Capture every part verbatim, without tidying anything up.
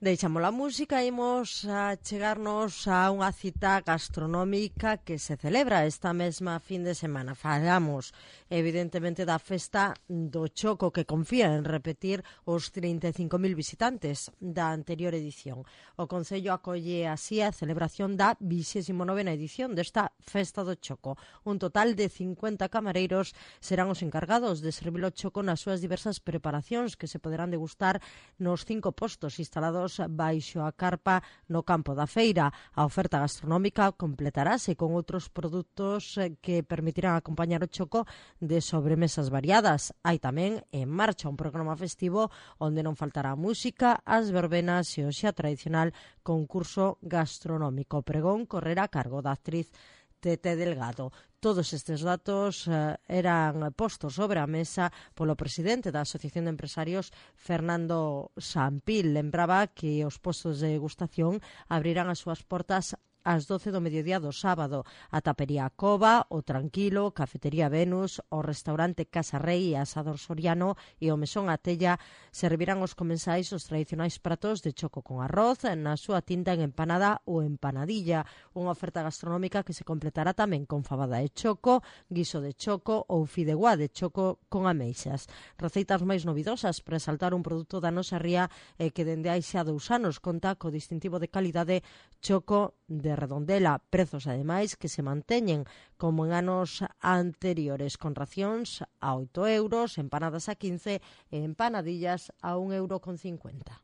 Deixamos a música e imos a chegarnos a unha cita gastronómica que se celebra esta mesma fin de semana. Falamos, evidentemente, da festa do Choco, que confía en repetir os trinta e cinco mil visitantes da anterior edición. O Concello acolle así a celebración da vixésima novena edición desta festa do Choco. Un total de cincuenta camareiros serán os encargados de servir o choco nas súas diversas preparacións que se poderán degustar nos cinco postos instalados baixo a carpa no campo da feira. A oferta gastronómica completarase con outros produtos que permitirán acompañar o choco de sobremesas variadas. Hai tamén en marcha un programa festivo onde non faltará a música, as verbenas e o xa tradicional concurso gastronómico. O pregón correrá a cargo da actriz Tete Delgado. Todos estes datos eh, eran postos sobre a mesa polo presidente da Asociación de Empresarios, Fernando Sampil. Lembraba que os postos de degustación abrirán as súas portas ás doce do mediodía do sábado. A tapería Cova, o Tranquilo, Cafetería Venus, o restaurante Casa Rei e Asador Soriano e o Mesón Atella servirán os comensais os tradicionais pratos de choco con arroz, na súa tinta en empanada ou empanadilla. Unha oferta gastronómica que se completará tamén con fabada de choco, guiso de choco ou fideuá de choco con ameixas. Receitas máis novidosas para exaltar un produto da nosa ría eh, que dende hai xa dous anos conta co distintivo de calidade Choco de Redondela. Prezos, ademais, que se manteñen como en anos anteriores, con racións a oito euros, empanadas a quince e empanadillas a un euro con cincuenta.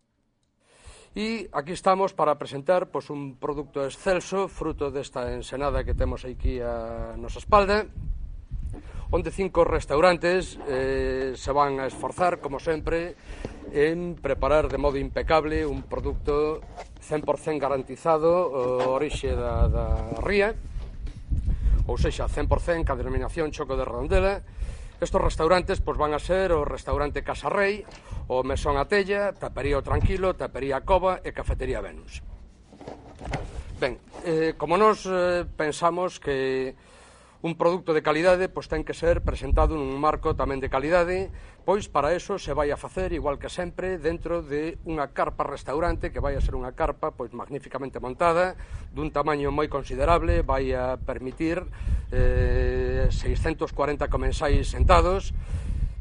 E aquí estamos para presentar pois, un produto excelso, fruto desta ensenada que temos aquí a nosa espalda, onde cinco restaurantes eh, se van a esforzar, como sempre, en preparar de modo impecable un produto cen por cen garantizado o orixe da, da ría, ou sexa, cen por cen ca denominación Choco de Redondela. Estos restaurantes pois, van a ser o restaurante Casa Rei, o Mesón Atella, Tapería o Tranquilo, Tapería Cova e Cafetería Venus. Ben, eh, como nos eh, pensamos que un produto de calidade pois ten que ser presentado nun marco tamén de calidade, pois para eso se vai a facer, igual que sempre, dentro de unha carpa restaurante que vai a ser unha carpa pois magníficamente montada, dun tamaño moi considerable, vai a permitir eh, seiscentos cuarenta comensais sentados.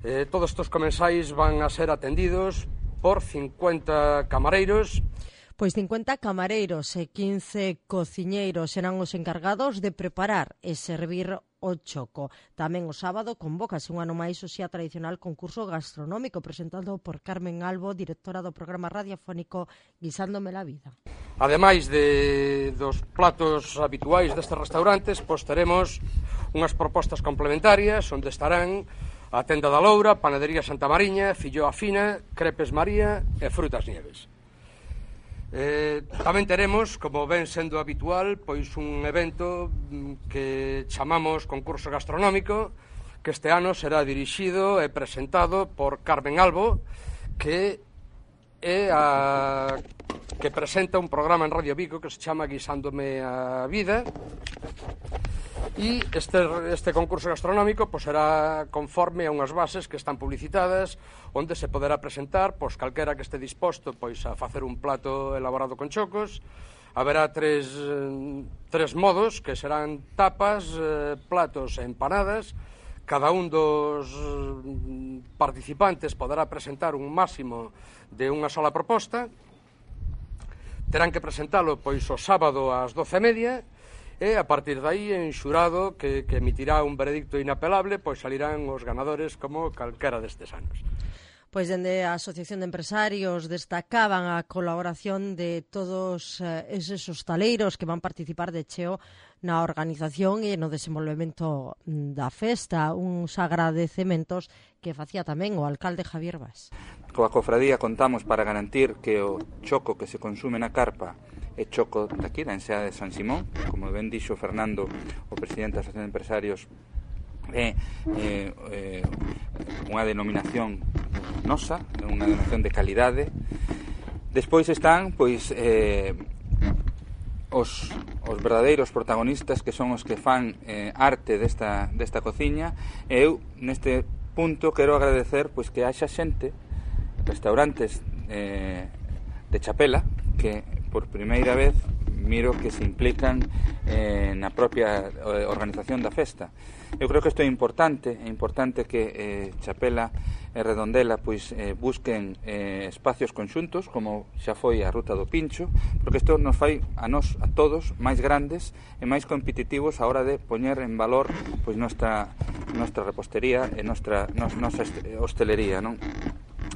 Eh, todos estes comensais van a ser atendidos por cincuenta camareiros. Pois cincuenta camareiros e quince cociñeiros serán os encargados de preparar e servir o choco. Tamén o sábado convócase un ano máis o xa tradicional concurso gastronómico presentado por Carmen Albo, directora do programa radiofónico Guisándome la Vida. Ademais de, dos platos habituais destes restaurantes, pois teremos unhas propostas complementarias onde estarán a Tenda da Loura, Panadería Santa Mariña, Filloa Fina, Crepes María e Frutas Nieves. Eh, tamén teremos, como ven sendo habitual, pois un evento que chamamos concurso gastronómico, que este ano será dirixido e presentado por Carmen Albo, que é a que presenta un programa en Radio Vigo que se chama Guisándome a Vida. E este, este concurso gastronómico pois, será conforme a unhas bases que están publicitadas, onde se poderá presentar pois, calquera que este disposto pois, a facer un plato elaborado con chocos. Haberá tres, tres modos, que serán tapas, eh, platos e empanadas. Cada un dos participantes poderá presentar un máximo de unha sola proposta. Terán que presentalo pois, o sábado ás doce e media, e a partir de aí, en xurado que, que emitirá un veredicto inapelable, pois salirán os ganadores como calquera destes anos. Pois dende a Asociación de Empresarios destacaban a colaboración de todos eh, eses hostaleiros que van participar de cheo na organización e no desenvolvemento da festa, uns agradecementos que facía tamén o alcalde Javier Bas. Coa cofradía contamos para garantir que o choco que se consume na carpa é choco daqui, da enseada de San Simón, como ben dixo Fernando, o presidente da Asociación de Empresarios, é eh, eh, unha denominación nosa, unha denominación de calidade. Despois están pois eh, os, os verdadeiros protagonistas, que son os que fan eh, arte desta, desta cociña, e eu neste punto quero agradecer pois que haxa xente, restaurantes eh, de Chapela, que por primeira vez miro que se implican eh, na propia eh, organización da festa. Eu creo que isto é importante, é importante que eh, Chapela e Redondela pois, eh, busquen eh, espacios conxuntos, como xa foi a Ruta do Pincho, porque isto nos fai a nós, a todos, máis grandes e máis competitivos a hora de poñer en valor pois, nosa, nosa repostería e nosa, nosa hostelería. Non?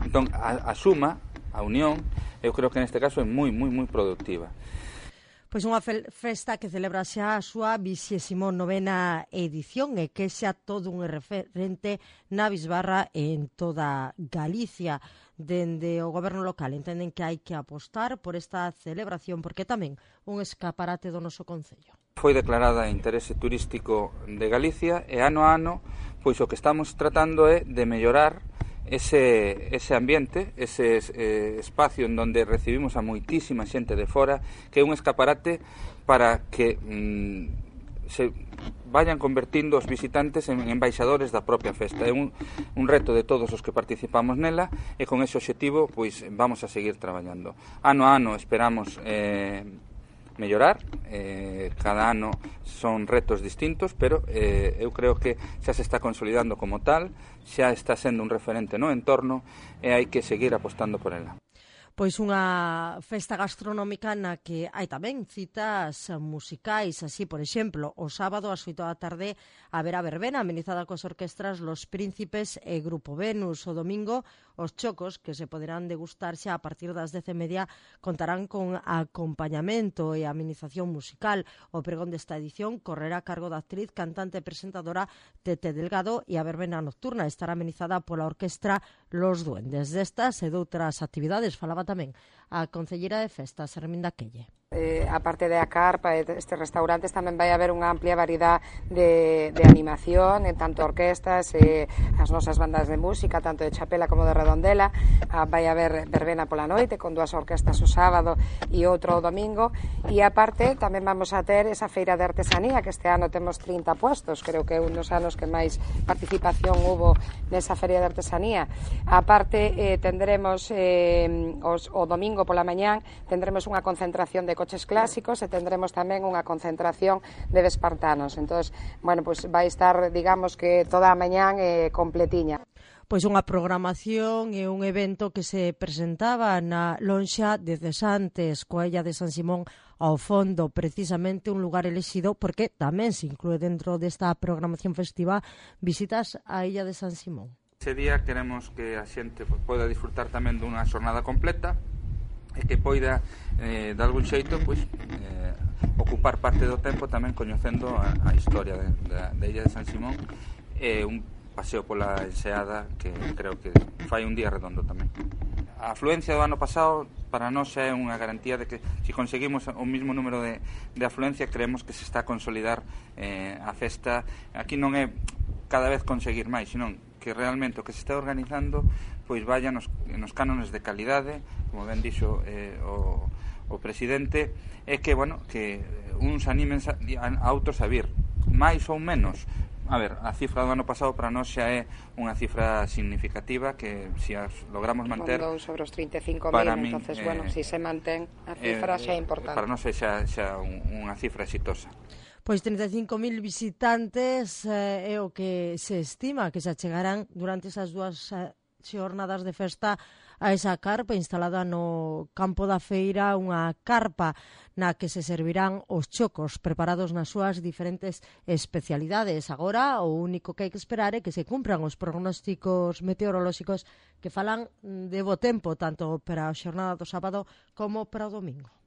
Entón, a, a suma, a unión, eu creo que neste caso é moi, moi, moi productiva. Pois unha festa que celebra xa a súa vixésimo novena edición e que xa todo un referente na bisbarra en toda Galicia. Dende o goberno local entenden que hai que apostar por esta celebración porque tamén un escaparate do noso concello. Foi declarada interese turístico de Galicia e ano a ano pois o que estamos tratando é de mellorar Ese, ese ambiente, ese eh, espacio en donde recibimos a moitísima xente de fora, que é un escaparate para que mm, se vayan convertindo os visitantes en embaixadores da propia festa. É un, un reto de todos os que participamos nela e con ese objetivo pois, vamos a seguir traballando. Ano a ano esperamos eh, mellorar, eh, cada ano son retos distintos, pero eh, eu creo que xa se está consolidando como tal, xa está sendo un referente no entorno e hai que seguir apostando por ela. Pois unha festa gastronómica na que hai tamén citas musicais, así, por exemplo, o sábado ás oito da tarde haberá verbena amenizada coas orquestras Los Príncipes e Grupo Venus. O domingo, os chocos, que se poderán degustar xa a partir das dez e media, contarán con acompañamento e amenización musical. O pregón desta edición correrá a cargo da actriz, cantante e presentadora Tete Delgado e a verbena nocturna estará amenizada pola orquestra Los Duendes. Destas e doutras actividades falaba tamén a concelleira de festas, Herminda Quelle. Eh, a parte da carpa e destes restaurantes tamén vai haber unha amplia variedade de, de animación en tanto orquestas e eh, as nosas bandas de música, tanto de Chapela como de Redondela. Ah, vai haber verbena pola noite con dúas orquestas o sábado e outro o domingo, e aparte tamén vamos a ter esa feira de artesanía que este ano temos trinta puestos, creo que é un dos anos que máis participación hubo nesa feria de artesanía. Aparte eh, tendremos eh, os, o domingo pola mañán tendremos unha concentración de coches clásicos e tendremos tamén unha concentración de vespartanos. Entonces, bueno, pues vai estar, digamos que toda a mañán eh, completiña. Pois unha programación e un evento que se presentaba na lonxa de Cesantes, coa illa de San Simón ao fondo, precisamente un lugar elexido porque tamén se inclúe dentro desta programación festiva visitas á illa de San Simón. Ese día queremos que a xente poida disfrutar tamén dunha xornada completa e que poida, eh, de algún xeito, pois, eh, ocupar parte do tempo tamén coñecendo a, a historia de, de, de Illa de San Simón e un paseo pola enseada que creo que fai un día redondo tamén. A afluencia do ano pasado para nós é unha garantía de que se conseguimos o mismo número de, de afluencia creemos que se está a consolidar eh, a festa. Aquí non é cada vez conseguir máis, senón que realmente o que se está organizando pois vaya nos, nos cánones de calidade, como ben dixo eh, o, o presidente, é que, bueno, que uns animen a, a outros a vir, máis ou menos. A ver, a cifra do ano pasado para nós xa é unha cifra significativa que se as logramos manter Mondou sobre os trinta e cinco mil, entonces, eh, bueno, se si se mantén a cifra eh, xa é importante. Para nós é xa, xa un, unha cifra exitosa. Pois trinta e cinco mil visitantes eh, é o que se estima que se achegarán durante esas dúas eh, xornadas de festa a esa carpa instalada no campo da feira, unha carpa na que se servirán os chocos preparados nas súas diferentes especialidades. Agora, o único que hai que esperar é que se cumpran os pronósticos meteorolóxicos que falan de bo tempo tanto para a xornada do sábado como para o domingo.